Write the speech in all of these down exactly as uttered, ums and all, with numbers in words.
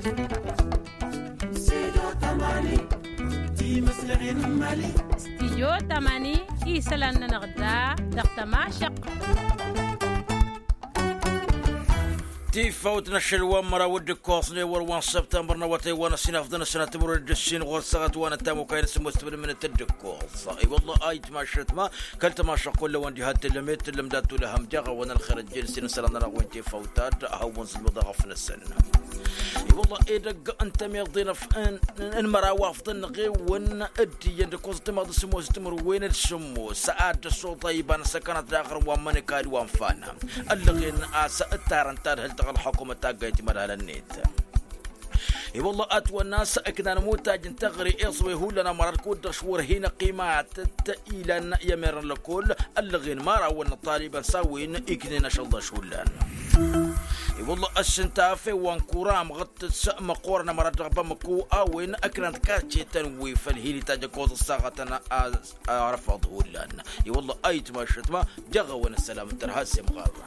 Stidyo tamani, isălan-nănăɣ da dăɣ-tămašăɣt. Tifawt n-ašăl wa n-măraw d-ǝkkoẓ n-ewăr wa n-săbtămbăr n-awătay wa n-ăsinafḍăn ăsănat timǝrwen d-ǝssin ɣur-săɣăt wa n-ăttamukay n-sǝmmos tǝbǝlmǝnăt d-ǝkkoẓ. I-wălla a itmašăt ma kăl-tămašăɣ kull-ăwăn diha t-tǝllăm i-t-tǝllăm dat-tulăhăm deɣ a-wen ălxer ăjjel s-inǝsălan-nănăɣ wen tifawt ad-hawăn-zǝlmǝḍ aɣăf-năsăn. I-wălla edăgg ǝnta meḍen ăf n-măraw afḍăn n-eɣewăn d-iyyăn d-ǝkkoẓ ăttimaḍ d-sǝmmos timǝrwen d-sǝmmos ad-dd-ăssoḍa iba n-asăkănăt daɣ ărǝm wa n-mănăkad wa n-fana ăllăɣen a-s ǝttarăn tadhǝlt ɣǝl-ălxukumăt taggayt timădhalăn-net. I-wălla ătwănna a-s ǝknan mutaj n-teɣăre iẓwe hullan amăra d-kud-dăɣ š-wăr hin-ăqqimatăt ilan i-ămerăn lăkull ăllăɣen mărawăn n-ăṭṭalibăn s-a-wen iknen ašăl ḍaš hullan. I-wălla ăssintaf i-wa n-kura amɣăt s-măqqoorăn amăra dăɣ-bamăko a-wen ăknan d-kačetăn wi făll-hin-itaj ăkkoẓ ăssaɣătăn. Arăfaḍ hullan. I-wălla a itmašăt ma dăɣ-a-wen ăssălam n-tărha s-imɣarra.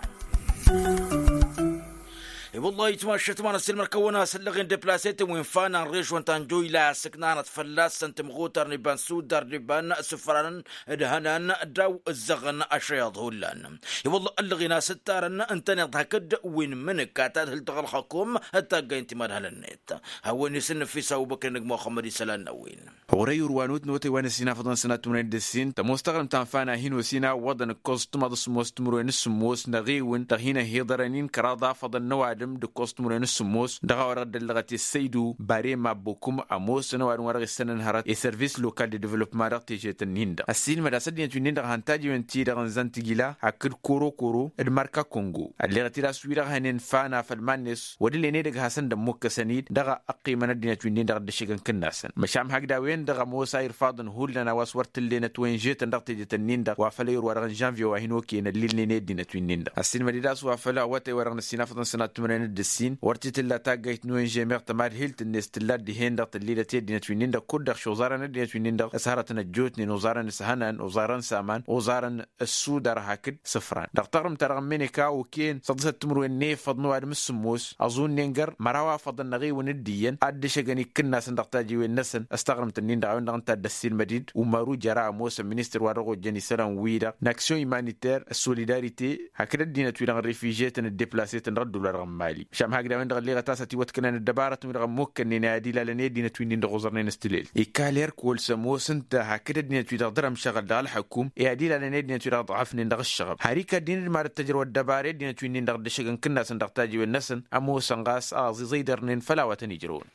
I-wălla a itmašăt ma n-ăssiilmăr-kăwăn a-s ăllăɣen deplasetăn wi n-fana n-režon ta n-joyla a-s ǝknanăt fălla-săn tǝmɣutar n-iba n-sudar d-iba n-sǝfran d-hănan d-a-wa ǝzzăɣăn ašăyaḍ hullan. I-wălla ăllăɣen a-s ǝttarăn ǝntăneḍ hakd wi n-imǝnǝk a tadhǝlt ɣǝl-ălxukum d-taggay n-timadhal-net. Hawăn-isǝnnǝfis ăbubăkr n-ăgg muxămmăd isălan n-a-wen. Ɣur-ăyur wa n-utnăwătăy wa n-ăsinafăḍăn sănat timǝrwen d-ǝssin tămoos taɣrǝmt ta n-fana hin-osin a ǝwwăḍăn ǝkkoẓ ǝttǝmaḍ s-sǝmmos timǝrwen s-sǝmmos n-eɣewǝn dăɣ-hin-ăhhiḍărăn-in kăraḍ afăḍăn n-ăwadǝm d-ǝkkoẓ timǝrwen s-sǝmmos dăɣ-a-wa dăɣ-dd-ăllăɣăt i-săydu barema bokum ămoosăn ăwadǝm wa dăɣ-issănăn hărăt i-service lokal de developpement dăɣ-težet-ǝnnin-dăɣ ăssiilmăd a-s ăddinăt wi-nin-dăɣ a han-tajăwen-ti-dăɣ ǝnzăn tijla hakd koro-koro d-marka kongo ălleɣăt-dd a-s wi-dăɣ hănen fana făll-iman-net wăr dd-ǝllen edăgg hasăn-dd ămmukkăsăn-dd dăɣ-ăqqimăn ăddinăt wi-nin-dăɣ dd-ăššăgăn kǝnnasăn măšan hakd a-wen-dăɣ ămoos a irfaḍăn hullan a-wa s-wăr t-ǝllen ătwănžetăn dăɣ-tejet-nin-dăɣ wa făl ăyr wa-dăɣ n-žănvye wa hin-okăyăn ăllilnen i-ăddinăt wi-nin-dăɣ ăssiilmăd-dd a-s wa făl awătay wa dăɣ-năssinafăḍăn sănat timǝrwen d-ǝssin wăr t-tǝlla taggayt n-onže meɣ tămadhilt-net tǝlla dd-hen-dăɣ tǝllilăt i-ăddinăt wi-nin-dăɣ kud-dăɣ šuẓarăn ăddinăt wi-nin-dăɣ s-hărătăn ăjjootnen uẓarăn s-hănan uẓarăn s-aman uẓarăn ăssudar hakd sǝfran dăɣ-taɣrǝmt-ta-dăɣ n-meneka okăyăn săḍǝsăt timǝrwen n-efăḍ n-ăwadǝm s-sǝmmos ăẓunnen găr măraw afăḍăn n-eɣewǝn d-iyyăn ad-dd-ăššăgăn ikkǝnnasăn dăɣ-tajiwen-năsăn s-taɣrǝmt-nin-dăɣ a-wen-dăɣ ǝnta a dd-ăssiilmăd-dd umaru jăra ămoosăn ministăr wa dăɣ-ojjăn isălan-wi-dăɣ n-aksyon imaniter s-solidarite hakd ăddinăt-wi-dăɣ n-rifižetăn d-deplasetăn dăɣ-ăddul wa dăɣ-n mali măšan hakd a-wen-dăɣ ălleɣăt a-s ătiwătkănen ăddăbarătăn-wi-dăɣ ămmukkănnen i-ad-ilalăn i-ăddinăt wi-nin-dăɣ oẓărnen s-tilelt ikal herkol s-ămoos ǝnta hakd ăddinăt-wi-dăɣ dăr-ămšăɣăl dăɣ-ălḥăkum i-ad-ilalăn i-ăddinăt-wi-dăɣ ăḍɣăfnen dăɣ-ǝššăɣăb har ikad-in d-mad-ăttăjrăw ăddăbara i-ăddinăt wi-nin-dăɣ dd-ăššăgăn kǝnnasăn dăɣ-tajiwen-năsăn ămoosăn ɣas aẓiẓăydărnen făll-a-wa tăn-ijrăwăn.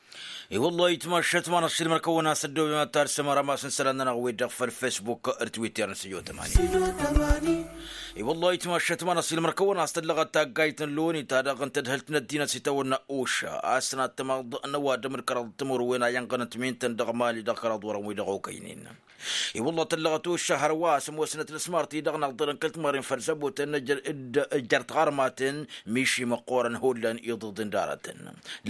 I-wăllah itmaššăt ma n-ăṣṣilmăr-kăwăn a-s ăddoobem ad-tarsăm arămas n-isălan-nănăɣ-wi-dăɣ făll-facebook d-twitter n-sǝjo tămani. I-wăllah itmaššăt ma n-ăṣṣilmăr-kăwăn a-s tăllăɣăt taggayt n-loni ta dăɣ-n tadhǝlt n-ăddinăt s-itawănna oša a-s tăn-ad-tămaḍ n-ăwadǝm d-kăraḍ timǝrwen a inɣănăt minten dăɣ-mali dăɣ-kăraḍ wărăn wi-dăɣ okăynen. I-wăllah tăllăɣăt oša hărwa a-s ămoosnăt n-asmart-i-dăɣ n-aḍḍălăn kăl-timărren făll-săbotăn. Ǝjjăr tiɣărmaten miši măqqoorăn hullan iḍǝḍen d-aratăn.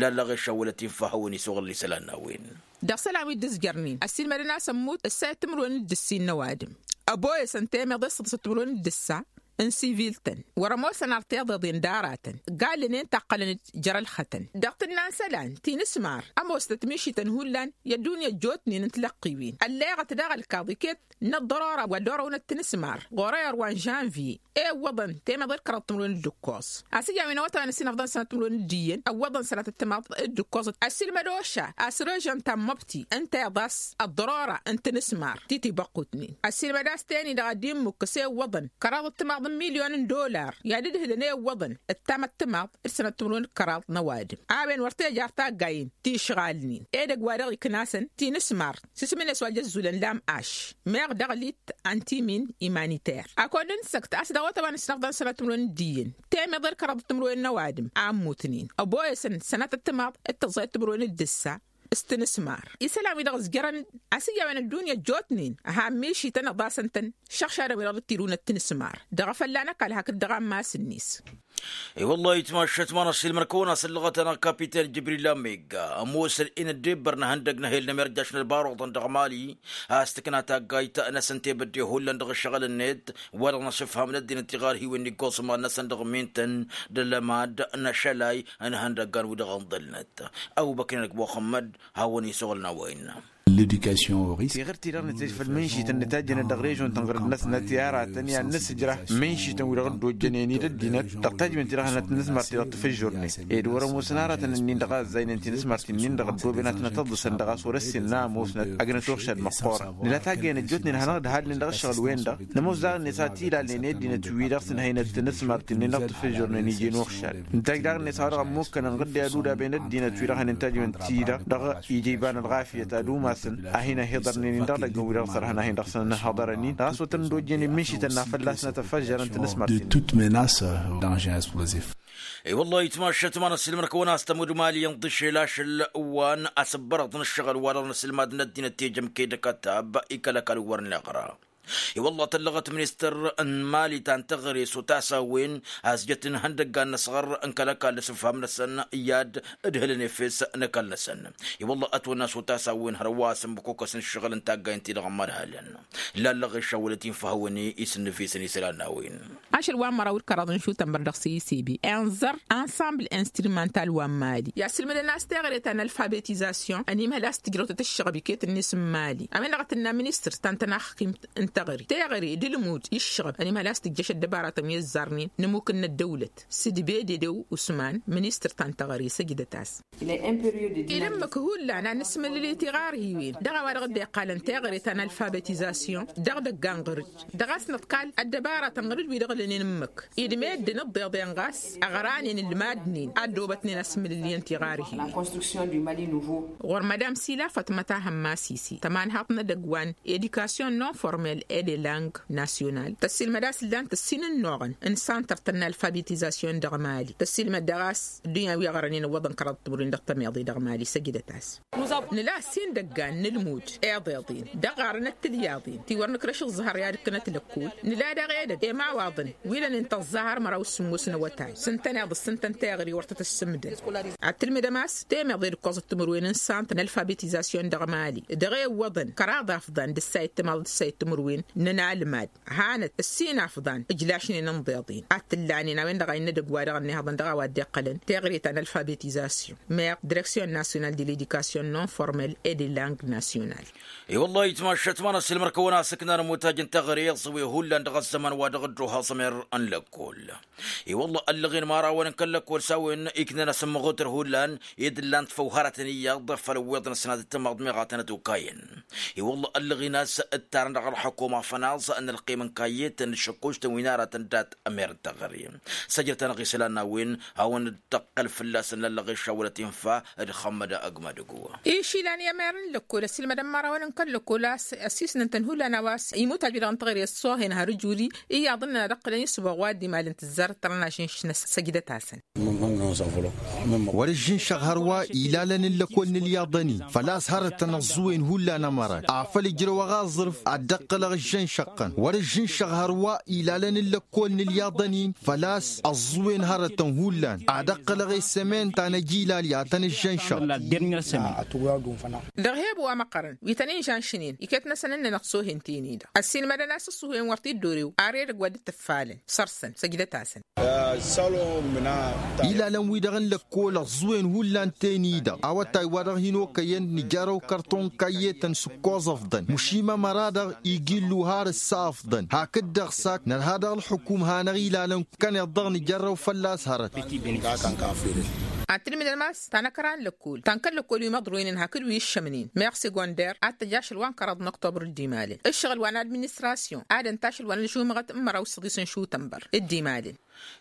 Lallăɣ išawălăt infa hawăn-isuɣǝl isălan n-a-wen. Dăɣ-isălan wi dd-ǝzjărnen ăssiilmădăn a-s ămmut ǝssa i-timǝrwen d-ǝssin n-ăwadǝm ăboyăsăn temeḍe s-săḍǝsăt timǝrwen d-ǝssa n-siviltăn wăr-ămoosăn ar tiḍeḍen d-aratăn. Gallănen taqqălăn-dd jer-ălxătăn dăɣ-tǝnna n-isălan ti n-asmar ămoosnăt mišităn hullan i-ăddunya ăjjootnen n-tilăqqiwen ălleɣăt daɣ ălkaḍ iket n-ăḍḍărora wa dd-orăwnăt tinǝsmar ɣur-ăyăr wa n-žănvye. I-ǝwwăḍăn temeḍe d-kăraḍ timǝrwen d-ǝkkoẓ a-s ǝyyawen awătay wa n-ăsinăfḍăn sănat timǝrwen d-iyyăn ǝwwăḍăn sănatăt timaḍ d-ǝkkoẓăt ăssiilmăd oša a-s režăn ta n-măbti ǝnta iḍas ăḍḍărora n-tinǝsmar ti tibăqqutnen ăssiilmăd a-s teni-dăɣ ad-dd-immukkǝs i-ǝwwăḍăn kăraḍăt timaḍ n-milyon n-dollar i-ad-ǝdhǝlăn i-ǝwwăḍăn ǝttamăt timaḍ d-sănăt timǝrwen d-kăraḍ n-ăwadǝm. A-wen wăr tejăr taggay-in ti ǝšɣalnen edăgg wa dăɣ-iknasen ti n-asmar s-isǝm-net wa jăzzulăn lam-aš meɣ dăɣ-lit antimin imaniter. Akăwăn-dd-nǝssăkt a-s dăɣ-awătay wa n-ăssinăfḍăn sănăt timǝrwen d-iyyăn temeḍe d-kăraḍăt timǝrwen n-ăwadǝm a ǝmmutnen ăboyăsăn sănatăt timaḍ d-tăẓẓayăt timǝrwen d-ǝssa s-tinǝsmar isălan-wi-dăɣ ǝzjărăn-dd a-s ǝyyawen ăddunya ăjjootnen. Han mišităn ăḍasăn-tăn šăɣšadăn-wi-dăɣ dd-tirǝwnăt tinǝsmar dăɣ-afălla n-ăkall hakd dăɣ-ammas-net. I-wălla-hi ătmaššăt ma n-ăṣṣilmăn-kăwăn-asǝllăɣăt-anăɣ kapiten jibril lamegga ămoosăn-in ăddebbăr n-ehăndăg n-ehel n-emerjaš n-ălbaruḍăn dăɣ-mali. A-s tǝkna taggayt-năsăn tebădde hullan dăɣ-ǝššăɣǝl-net wa dăɣ-năsǝfham n-ăddinăt tiɣarhiwen n-iggoẓ imal-năsăn dăɣ-minten d-ălmad n-ašălay n-ehăndăggan wi-dăɣ ǝnḍǝlnăt. Ăbubăkr-inăk muxămmăd hawăn-isuɣǝlăn a-wa innă. Tiɣǝrt-i-dăɣ nǝtejăf ălmǝnšităn nǝtajjănăt dăɣ-režon tănɣăr-năsnăt i-aratăn i-ad-nǝsǝjrah mǝnšităn wi-dăɣ dd-ojjănen-dd ăddinăt dăɣ-tajjăwen-ti-dăɣ hanăt-nǝsmăr-ti-dăɣ tǝfǝjjurnăy. Ed wăr-ămoosăn aratăn-nin-dăɣ a ăzzaynen tinǝsmărt-nin-dăɣ ăddooben ad-tănăt-ăḍḍǝsăn dăɣ-a-s wăr-ăssinăn a ămoosnăt ăgnăt uɣšad măqqoorăn. Nǝla taggăyăn ăjjootnen hanăɣ-dd-halnen dăɣ-ǝššăɣǝl-wen-dăɣ. Nămoos daɣ-net a tilalnen i-ăddinăt-wi-dăɣ s-ǝnhăynăt tinǝsmărt-nin-dăɣ tǝfǝjjurnăyăn iji n-uɣšad. Nǝtajj daɣ-net a-wa dăɣ-ămmukkănăn ɣǝdde ad-udaben ăddinăt-wi-dăɣ hanǝntajjăwăn-ti-dăɣ dăɣ-ija iba n-ălɣafyăt ad-umasăn a hin-ăhiḍărnen-in dăɣ-idăgg n-wi-dăɣ s-ărhăn a hin-dăɣ-săn-ănhăḍărăn-in dăɣ-a-s wăr tăn-dd-ojjănen mǝnšităn n-afălla-s n-ad-tăfăžžărăn tinǝsmărten. I-wălla-hi ătmaššăt ma n-ăssiilmăn-kăwăn a-s tămud mali inḍǝšel ašăl wa n-asǝbbărăḍ n-ǝššăɣǝl wa dăɣ-năsǝlmad n-ăddinăt tejăm kedăkătab ikăl-ăkall wăr-neɣra. I-wălla tăllăɣăt ministăr n-mali ta n-teɣăre s-otas a-wen a-s jăt n-ihăndăggan n-asɣăr n-kăl-ăkall s-ǝfham-năsăn i-ad-ǝdhǝlăn efes n-ăkall-năsăn. I-wălla ătwănna s-otas a-wen hărwa a-s ǝmmǝk okăs n-ǝššăɣǝl n-taggayen-ti-dăɣ n-imădhalăn. Lallăɣ išawălăt infa hawăn-i isǝnnǝfisăn isălan n-a-wen. Ašăl wa n-măraw d-kăraḍ n-išutănbăr dăɣ-s i-s i-bi inẓăr ensemble instrumental wa n-mali i-asǝlmǝdăn a-s teɣăre ta n-alfabetizasyon ănimhăl a-s tǝjrăwtăt ǝššăɣb iket-net n-mali a-wen-dăɣ a tǝnna ministăr ta n-tănaxkimt n-teɣăre teɣăre d-ǝlmud i-ǝššăɣb ănimhăl a-s tǝjjăš ăddăbaratăn wi ăzzarnen n-ǝmmuk n-ăddăwlăt s-dd-bede d-usman ministăr ta n-teɣăre săjdăt-as. Idǝmmǝk hullan ad-nǝsmǝlǝl i-tiɣarhiwen dăɣ-a-wa-dăɣ dd-iqqalăn teɣăre ta n-alfabetizasyon dăɣ-idăggan ɣur-dd dăɣ-a-s nǝḍkal ăddăbaratăn ɣur-dd wi-dăɣ lănen ǝmmǝk. Ed meddǝn ǝḍḍeḍen ɣas ăɣranen ǝlmadnen ad-dd-obătnen asmǝlǝl i-ǝnta iɣarhiwen. Ɣur-madam sila fatmăt ahămmas isi tămanhaḍt n-edăgg wa n-edikasyon non-formel e de lang nasyonal tăssiilmăd a-s ǝllan tǝssin ǝnnuɣăn n-santăr-tăn n-alfabetizasyon dăɣ-mali tăssiilmăd daɣ a-s ăddunya wi ăɣrănen ǝwwăḍăn kăraḍ timǝrwen dăɣ-tămeḍe dăɣ-mali săjdăt-as. Nǝla ăssin idăggan n-ǝlmud iḍeḍen dăɣ-ɣarăn ăttǝlyaḍen ti wăr nǝkrăš ǝẓẓăhăr i-ad-ǝkkǝnăt lăkkul. Nǝla daɣ edăgg i-imawaḍăn wi lănen tăẓẓahăr măraw s-sǝmmos n-awătay s-ǝntăneḍ s-ǝntăn teɣăre wăr tăt-ăssǝmdăn. Ad-tǝlmǝdăm a-s temeḍe d-ǝkkoẓăt timǝrwen n-santăr n-alfabetizasyon dăɣ-mali dăɣ-e ǝwwăḍăn kăraḍ afḍăn d-ǝssayăt timaḍ d-ǝssayăt timǝrwen n-ănalmad hanăt ǝssin afḍăn ǝjlašnen ǝnḍeḍen ad-t-ǝllanen a-wen-dăɣ a innă edăgg wa dăɣ-ănnihăḍăn dăɣ-a-wa dd-iqqălăn teɣăre ta n-alfabetizasyon meɣ direksyon nasyonal de ledikasyon non-formel e de lang nasyonal. I-wălla-hi ǝtmaššăt ma n-ăssiilmăr-kăwăn-asǝknan ămotaj n-teɣăre iẓǝwe hullan dăɣ-ăzzăman wa dăɣ-dd-ohaẓ ămer n-lăkkol. I-wălla ăllăɣen imărawăn n-kăl-lăkkol s-a-wen iknan asǝmmăɣutăr hullan ed ǝllan-t făw hărătăn iyyăḍ făll-ăwweḍăn ăsnat d-timaḍ meɣ a tănăt okayăn. I-wălla ăllăɣen a-s dd-tarăn dăɣ-ălxukuma fănaẓ n-ălqim n-kayyetăn d-išǝkkuštăn wi n-aratăn dat-ămer n-teɣăre. Săjdăt-anăɣ isălan n-a-wen hawăn-dd-tăqqăl fălla-săn lallăɣ išawălăt infa d-xămmăd agmădăgo. Išilan i-ămer n-lăkkol ăssiilmădăn imărawăn n-kăl-lăkkol a-s ăssisnăn-tăn hullan a-wa s-imutaj wi-dăɣ n-teɣăre ăṣṣoohen har ǝjuri iyyăḍ ǝnnăn ad-ăqqǝlăn isǝboɣ wa dd-imalăn tǝzzar tărnaš n-săjdăt-asăn. Wăr-ǝžžǝnšăɣ hărwa ilalăn n-lăkkol n-ǝlyaḍăn-in făl-a-s hărătăn ăẓẓuwen hullan ămărat afăl ǝjrăwăɣ aẓrǝf ad-dd-ăqqălăɣ ǝžžănšăɣ-tăn wăr-ǝžžǝnšăɣ hărwa ilalăn n-lăkkol n-ǝlyaḍăn-in făl-a-s ăẓẓuwen hărătăn hullan ad-ăqqălăɣ esămen ta n-ajilal i-ad-tăn-ǝžžănšăɣ. Dăɣ-he-ăbu wa măqqărăn wi tăn-inžănšnen iket-năsăn ǝnnăn ăṣṣoohen-ten-i-dăɣ ăssiilmădăn a-s ăṣṣuhen wăr t-dd-orew ar edăgg wa dd-tǝffalăn săr-săn săjdăt-asăn. Ilalăn-wi-dăɣ n-lăkkol ăẓẓuwen hullan-ten-i-dăɣ awătay wa dăɣ-hin-okăyăn nǝjărrăw kărton n-kayyetăn s-ǝkkoẓ ăfḍăn măšin ămăra-dăɣ iji ǝllu har ǝssa ăfḍăn hakd-dăɣ s-ak nărha dăɣ-ălxukum hanăɣ-ilalăn kăneḍ-dăɣ nǝjărrăw fălla-s hărăt. Ad-tǝlmǝdăm a-s ta n-ăkra n-lăkkol ta n-kăl-lăkkol wi măḍroynen hakd wi ǝššămnen meɣ segonder ad-tăj ašăl wa n-kăraḍ n-ăktobăr dd-imalăn ǝššăɣǝl wa n-administrasyon ad-ǝnta ašăl wa n-ălžumăɣăt n-măraw s-săḍis n-išutănbăr dd-imalăn.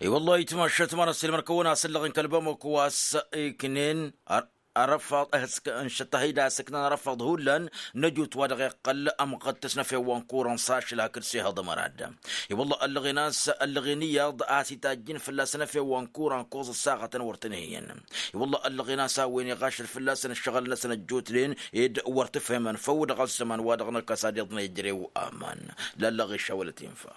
I-wăllah itmaššăt ma n-ăssiilmăr-kăwăn-asǝllăɣ n-kăl-bamăko a-s iknen arăfaḍ ăhǝsk n-šăṭṭăhăy d-asǝknan arăfaḍ hullan n-ăjut wa dăɣ-iqqăl ămɣăttăs n-efew wa n-kuran s-ašăl hakd s-ehăḍ ămăra-dd. I-wăllah ăllăɣen a-s ăllăɣen iyyăḍ a-s itajjǝn fălla-săn efew wa n-kuran koẓ ăssaɣătăn wăr tăn-ihăyyăn. I-wăllah ăllăɣen a-s a-wen iɣašăl fălla-săn ǝššăɣǝl-năsăn ăjjootnen ed wăr t-ǝfhǝmăn făw dăɣ-ăzzăman wa dăɣ-nălkăs ad-iḍnă ijrew aman. Lallăɣ išawălăt infa.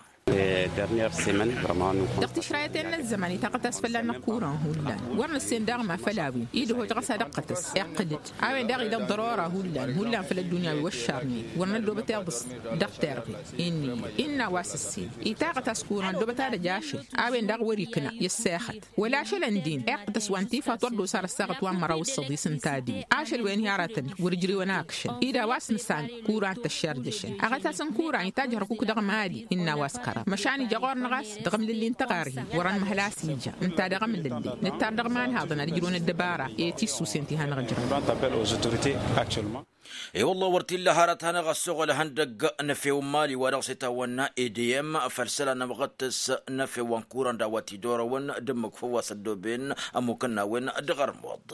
Dăɣ-tišrayăt-en n-ăzzăman itaɣăt-as fălla-năɣ kuran hullan. Wăr nǝssen daɣ ma făll-a-wen idăhoj ɣas ad-ăqqătăs iqqǝl-dd a-wen daɣ idăɣ ḍărora hullan hullan făll-ăddunya wi wăššarnen. Wăr năddoobăt iḍǝs dăɣ-terɣe. Innă-i innă a-wa s-ǝssin itaɣăt-as kuran ăddoobăt ad-ăj ašăl a-wen daɣ wăr-ikna i-ăssexăt. Wăla ašăl ǝndin iqqǝtăs wa n-tifa turdos ar ăssaɣăt wa n-măraw s-săḍis n-tadǝy. Ašăl-wen hi-aratăn wăr-ǝjrewăn akšăn ida wa s-nǝsan kuran tăššarjăšăn aɣăt-asăn kuran itajj hărkuk dăɣ-mali. Innă a-wa s-kăraḍ măšan ija ɣur-năɣ a-s dăɣ-amlǝlli n-tăɣarhi. Wăr-ănmăhăl a-s ija ǝnta dăɣ-amlǝlli nǝttar dăɣ-iman haḍăn ad-ǝjrǝwăn ăddăbara i-tissǝwsen ti hanăɣ-ǝjrăwăn. I-wălla wăr t-illa hărăt hanăɣ-ăssoɣăl ihăndăgg n-efew n-imali wa dăɣ-s itawănna edeyăm făll-isălan n-amăɣăttăs n-efew wa n-kuran d-a-wa t-idorăwăn d-ǝmmǝk făw wa s-ăddooben ămmukăn n-a-wen. Dăɣ-ărmuḍ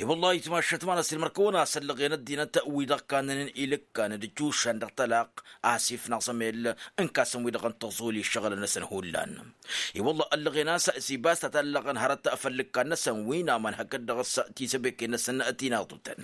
i-wălla ayǝtmašăt ma n-ăsilmăr-kăwăn a-s ăllăɣen ăddinăt wi-dăɣ kannănen ilǝkkan d-ǝccušan dăɣ-tălaqq asif n-aẓămel n-kasăn wi-dăɣ n-tăẓul i-ǝššăɣǝlăn-năsăn hullan. I-wălla ăllăɣen a-s sibas ta tallăɣăn hărăt făll-ǝkkan-năsăn wi n-aman hakd-dăɣ s-tisăbeken-năsăn tinaḍutăn.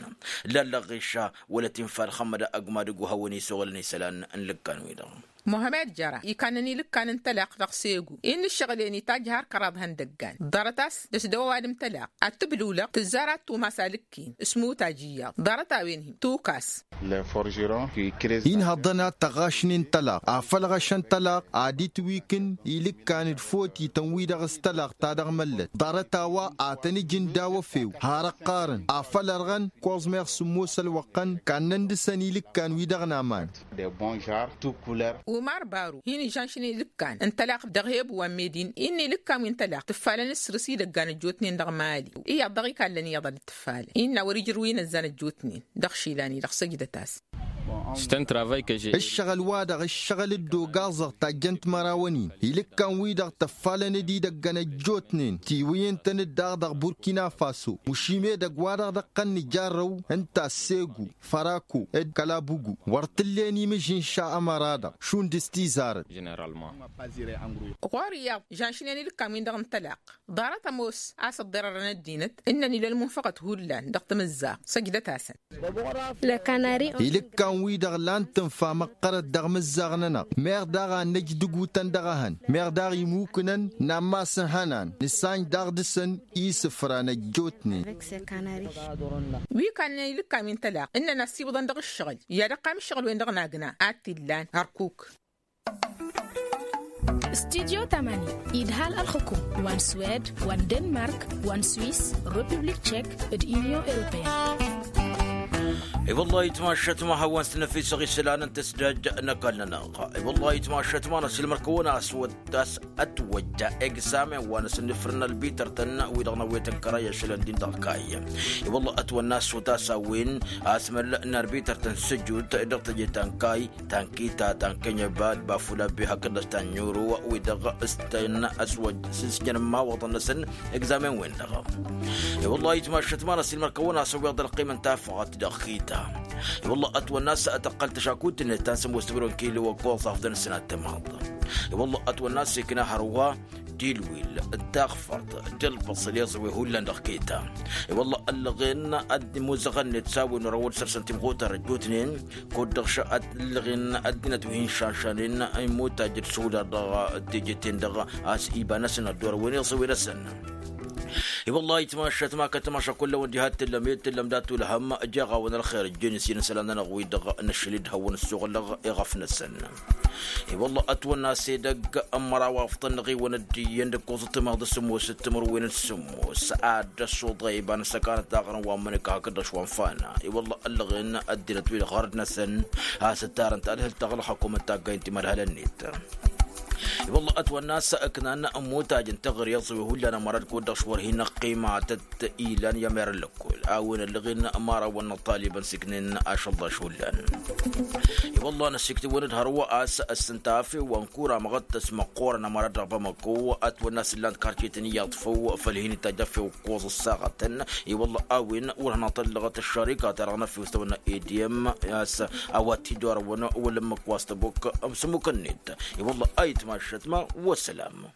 Lallăɣ ɣiša wăla tinfa ălxămmăda ăgg-madǝg wa hawăn-isuɣǝlăn isălan n-ilǝkkan-wi-dăɣ. Muhămed jăra ikannăn ilǝkkan n-tălaqq dăɣ-segu-i n-ǝššăɣǝl-en itajj har kăraḍ ihăndăggan ḍarăt-as dăr-s dăɣ-ăwadǝm tălaqq ad-tǝblǝwlăɣ tǝzzar ad-tumas alǝkk-in s-imutaj iyyăḍ ḍarăt-a-wen-hi tukas. Inhăḍăn ad-tăɣašnen tălaqq afăl ɣăšăn tălaqq ad-itwikǝn ilǝkkan d-fotităn-wi-dăɣ s-tălaqq ta dăɣ-măllăt ḍarăt a-wa ad-tăn-ǝjǝn daw-efew har ăqqarăn afăl ărɣăn kuẓmeɣ sǝmmos ălwăqqăn kannăn dăɣ-săn ilǝkkan-wi-dăɣ n-aman. Umar baru hin-ižănšnen ilǝkkan n-tălaqq dăɣ-hebu wa n-medin innă ilǝkkan wi n-tălaqq tǝffalăn s-săr-s idăggan ăjjootnen dăɣ-mali iyyăḍ dăɣ-ikallăn iyyăḍ ad-dd-tǝffalăn innă wăr-ijrǝw inăzzan ăjjootnen. Dăɣ-išilan-i dăɣ-săjdăt-as. Ǝššăɣǝl-wa-dăɣ ǝššăɣǝl dd-ogaẓăɣ tajjăn timărawăn-in ilǝkkan-wi-dăɣ tăffalăn d-idăggăn ăjjootnen tiwǝyǝn-tăn-dd daɣ dăɣ-burkina faso mušim edăgg-wa-dăɣ dăɣ-tăn-nǝjarrăw ǝnta s-segu fărako d-kălabugu wăr t-tǝllen imǝžžǝnša ămăra-dăɣ šund s-tizarăt. Ɣur-i iyyăḍ žănšnen ilǝkkan-win-dăɣ n-tălaqq ḍarăt ămoos a-s ăḍḍărărăn ăddinăt ǝnnăn ila ălmunfăɣăt hullan dăɣ-tamǝzzaɣt săjdăt-asăn. Ilǝkkan-wi-dăɣ lan tǝnfa măqqărăt dăɣ-imǝzzaɣ-nănăɣ meɣ daɣ a nǝjdǝgutăn dăɣ-ehăn meɣ daɣ imukǝnăn n-ammas n-ihănan nǝsanj daɣ dăɣ-săn isǝfran ăjjootnen. Wi kannăn ilǝkkan wi n-tălaqq ǝnnăn ăssiwǝḍăn dăɣ-ǝššăɣǝl i-ad-ăqqam ǝššăɣǝl-wen-dăɣ n-agna ad-t-illan hărkuk. Studyo tamani idhal ălxǝkum wa n-swed wa n-denmark wa n-swiss, republik tšek d-union europeyăn. I-wăllah itmašăt ma hawăn-s năfisăɣ isălan n-tăsdăj n-ăkall-nănăɣ. I-wăllah itmašăt ma n-asǝlmăr-kăwăn a-s wăt a-s ătwăjja egzamen wa n-asǝnnǝfrǝn ălbităr-tăn wi-dăɣ n-awetăn kăray ašăl ăndin dăɣ-kayy. I-wăllah ătwănna ăssut a-s a-wen asmăl n-arbităr-tăn săjut dăɣ-teje ta n-kayy ta n-kita ta n-kănyăba d-bafula bi hakd-dăɣ ta n-ɲuru wi-dăɣ s-tăn-ăswăj s-ǝsjăn n-imawăḍăn-năsăn. Egzamen-wen-dăɣ. I-wăllah itmašăt ma n-asǝlmăr-kăwăn a-s ăwweḍ ălqim n-tafɣăt dăɣ-kita. I-wăllah ătwănna a-s tăqqăl tăšakut-net ta n-sămoos timǝrwen kilo ăkkoẓ afḍăn ǝssin ad-tămaḍ. I-wăllah ătwănna a-s ikna hărwa d-ilwil d-taɣfărt d-ălbăṣăl i-iẓǝwe hullan dăɣ-kita. I-wăllah ăllăɣen ad-imuzăɣăn-net s-a-wen wăr-ăwwăl săr-săn timɣutar ăjjootnen kud-dăɣ ăllăɣen ăddinăt wi hin-šanšanen imutaj d-suda dăɣ-teje-ten-dăɣ a-s iba-năsăn ăddoorăwăn iẓǝwe-năsăn. I-wăllah itmašăt ma kăt-tămaša kull-awăn diha t-tǝllăm i-tǝllăm dat-ulhăm. Jeɣ-awăn ălxer ǝjjen s-i n-isălan-nănăɣ-wi-dăɣ n-ašăl-dd hawăn-ăssoɣlăɣ iɣăf-năsăn. I-wăllah ătwănna a-s edăgg n-măraw afḍăn n-aɣiwăn ăddiyăn d-ǝkkoẓ d-timaḍ d-sǝmmos d-timǝrwen d-sǝmmos ad-dd-ăssuḍăy iba n-ăssăkanăt daɣrăn wa n-imǝnǝka hakd-dăɣ wa n-fana. I-wăllah ăllăɣen ăddinăt-wi-dăɣ ɣărd-năsăn a-s ǝttarăn tadhǝlt taɣlăɣ hakk-omăt taggay n-timărhalăn-net. I-wăllah ătwănna a-s ǝknan ămmutaj n-taɣri iẓǝwe hullan ămăra d-kud-dăɣ šwăr hin-ăqqima tăt-ilan i-ămer n-lăkkol a-wen ăllăɣen mărawăn n-ăṭṭalibăn s-iknen ašălḍaš hullan. I-wăllah năsiktǝwăn-dd hărwa a-s ăssǝnta afew wa n-kura măɣăttăs măqqoorăn ămăra dăɣ-bamăko ătwănna a-s ǝllan-t karcetăn iyyăḍ făw făll-hin-itajj afew ǝkkoẓ ǝssaɣătăn. I-wăllah a-wen wăr hanăɣ-tăllăɣăt ăššărika-ta-dăɣ n-afew s-tăwănna ediyăm a-s a-wa t-idorăwăn wăla ǝmmǝk wa s-tăbok s-ǝmmuk-net. I-wăllah a itmašăt ma. Wăssălam.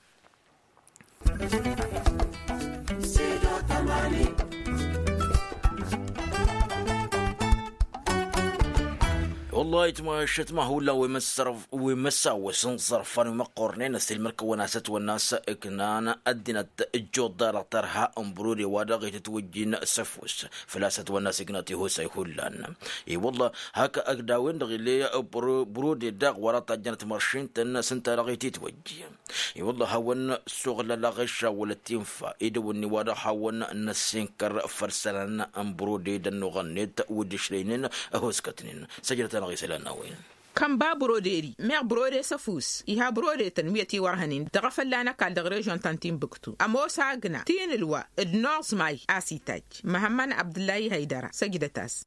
Tayt mašăt ma hullan wi măssawăs n-iẓărfan wi măqqornen ăssilmăr-kăwăn-as ătwănna s-ǝknan ăddinăt ǝjjuḍ-dăɣ tărha n-brode wa dăɣ-itǝtwǝjjin s-ăfuss. Făl-a-s ătwănna s-ignăt ihusay hullan. I-wălla hak ăgg dawen-dăɣ ill'-e brode daɣ wa dăɣ-tajjănăt măršin-tăn s-ǝnta dăɣ-itǝtwǝjj. I-wălla hawăn-suɣlălăɣ išawălăt infa idăwănni wa dăɣ-hawăn-năssinkăr făll-isălan n-brode d-ănnuɣ-net wi dd-išlăynen. Ăhoskătnen săjdăt-anăɣ isălan n-a-wen. Kănba broderi meɣ brode s-ăfuss iha brode-tăn wi ătiwărhănen dăɣ-afălla n-ăkall dăɣ-režyon ta n-tinbǝktu ămoos agna tinǝlwa d-noẓmay a-s itajj. Măhămmăn abdǝllahi hăydăra săjdăt-as.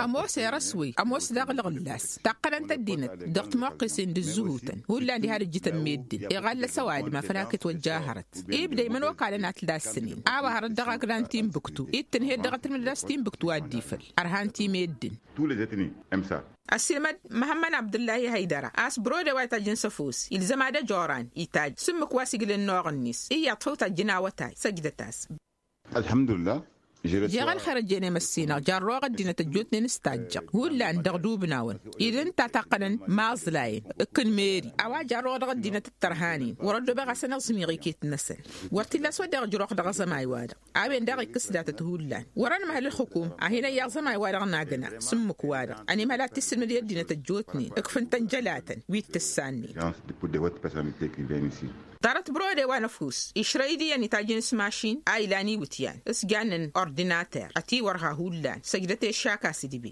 Ămoos erăswăy ămoos daɣ lăɣǝllas taqqănăn-t ăddinăt dăɣ-timoqqesen d-ǝzzǝhutăn hullan diha d-ǝjjǝtăn meddǝn iɣallăs ăwadǝm afăl hak-itwăjja hărăt. Ibda imănokalăn ad-t-dassǝnen a-wa hărăt dăɣ-agna n-tinbǝktu ittǝnhed dăɣ-atǝlmǝd ad-dăɣ-s tinbǝktu a dd-ifăl. Ărhan ti meddǝn. Ăssiilmăd măhămmăn abdǝllahi hăydăra a-s brode wa itajjăn s-ăfuss ilzăm ad-ăjoran itajj s-ǝmmǝk wa s-iglǝnnoɣ-net iyyăḍ făw tajjăn awătay săjdăt-as. Jeɣ ălxer ăjjeen i-măssinăɣ jarroɣ ăddinăt ăjjootnen s-tajjăɣ hullan dăɣ-dubnawăn id ǝnta taqqănăn maẓlayăn. Ǝkkǝn meri a-wa jarroɣ dăɣ-ăddinăt d-tărhanen wăr-ăddobeɣ a-s ănăẓmiɣ iket-năsăn. Wăr t-illa a-s wădden ăjrăwăɣ dăɣ-aẓămay-wa-dăɣ a-wen daɣ ikkǝs datăt hullan wăr-ănmăhăl ǝlxǝkum. A hin-ăyy aẓămay-wa-dăɣ n-agna s-ǝmmǝk-wa-dăɣ ănimhăl ad-t-issǝlmǝd i-ăddinăt ăjjootnen ǝkfǝn-tăn jălatăn wi t-ǝssannen. Ḍarăt brode wa n-ăfuss išrăy d-iyyăn itajjăn s-mašin a ilan iwǝtyan s-jannen ordinater ătiwărha hullan săjdăt i-ăššak a-s idǝbe.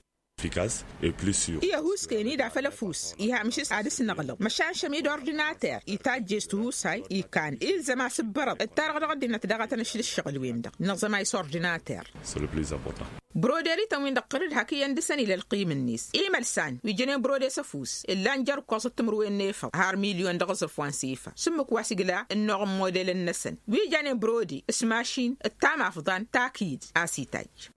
Iyyă ăhuuskăyăn-i d-afăl ăfuss iha amǝšǝs ad-ăsnăɣlăḍ măšan šăm-i d-ordinater itajje s-tihusay ikan ilzăm asǝbbărăḍ d-tarăɣ dăɣ-ăddinăt daɣ a tăn-ăšla ǝššăɣǝl-wen-dăɣ. Nǝẓămay s-ordinater. Broderi-tăn-win-dăɣ ɣǝr-dd hak iyyăn dăɣ-săn ila ălqim-net imălsan wi jănen brode s-ăfuss ǝllan jer-ǝkkoẓăt timǝrwen n-efăḍ har milyon dăɣ-aẓrǝf wa n-sifa s-ǝmmǝk wa s-igla ǝnnuɣ n-model-năsăn wi janen brode s-mašin d-tamafḍa n-takid a-s itajj.